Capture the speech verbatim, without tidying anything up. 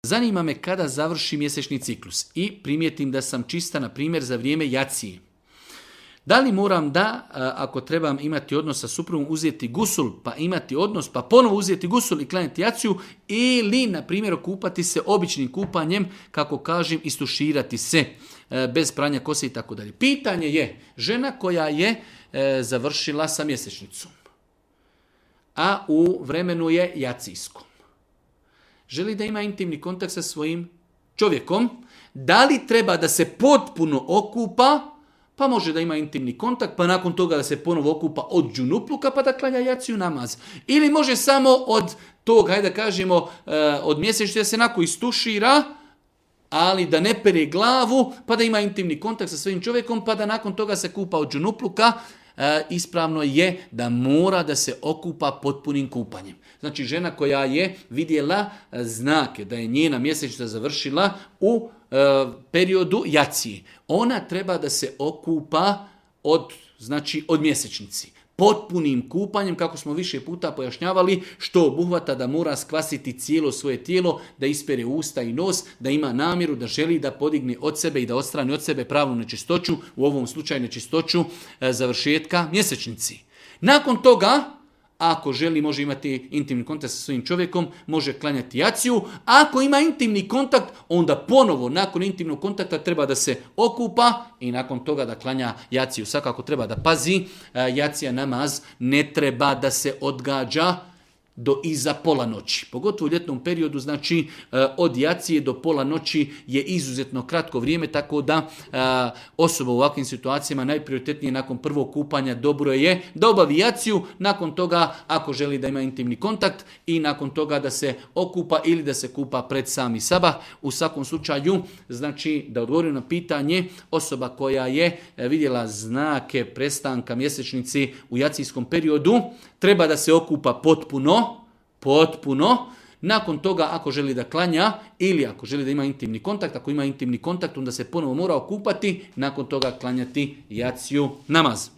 Zanima me kada završi mjesečni ciklus i primijetim da sam čista, na primjer, za vrijeme jacije. Da li moram da, ako trebam imati odnos sa suprugom, uzeti gusul, pa imati odnos, pa ponovo uzeti gusul i klanjati jaciju, ili, na primjer, okupati se običnim kupanjem, kako kažem, istuširati se bez pranja kose i tako dalje. Pitanje je, žena koja je završila sa mjesečnicom, a u vremenu je jacijskom, želi da ima intimni kontakt sa svojim čovjekom, da li treba da se potpuno okupa, pa može da ima intimni kontakt, pa nakon toga da se ponovo okupa od džunupluka, pa da klanja jaciju namaz. Ili može samo od tog, hajde da kažemo, od mjesečnice da se nakon istušira, ali da ne pere glavu, pa da ima intimni kontakt sa svojim čovjekom, pa da nakon toga se kupa od džunupluka. Ispravno je da mora da se okupa potpunim kupanjem. Znači, žena koja je vidjela znake da je njena mjesečnica završila u e, periodu jacije, ona treba da se okupa od, znači, od mjesečnici. Potpunim kupanjem, kako smo više puta pojašnjavali, što obuhvata da mora skvasiti cijelo svoje tijelo, da ispere usta i nos, da ima namjeru, da želi da podigne od sebe i da odstrani od sebe pravu nečistoću, u ovom slučaju nečistoću e, završetka mjesečnici. Nakon toga, ako želi, može imati intimni kontakt sa svojim čovjekom, može klanjati jaciju. Ako ima intimni kontakt, onda ponovo nakon intimnog kontakta treba da se okupa i nakon toga da klanja jaciju. Svakako treba da pazi, jacija namaz ne treba da se odgađa do iza pola noći. Pogotovo u ljetnom periodu, znači od jacije do pola noći je izuzetno kratko vrijeme, tako da osoba u ovakvim situacijama najprioritetnije nakon prvog kupanja dobro je da obavi jaciju, nakon toga ako želi da ima intimni kontakt i nakon toga da se okupa ili da se kupa pred sami sabah. U svakom slučaju, znači da odgovorim na pitanje, osoba koja je vidjela znake prestanka mjesečnici u jacijskom periodu treba da se okupa potpuno, potpuno. Nakon toga, ako želi da klanja ili ako želi da ima intimni kontakt, ako ima intimni kontakt, onda se ponovo mora okupati, nakon toga klanjati jaciju namaz.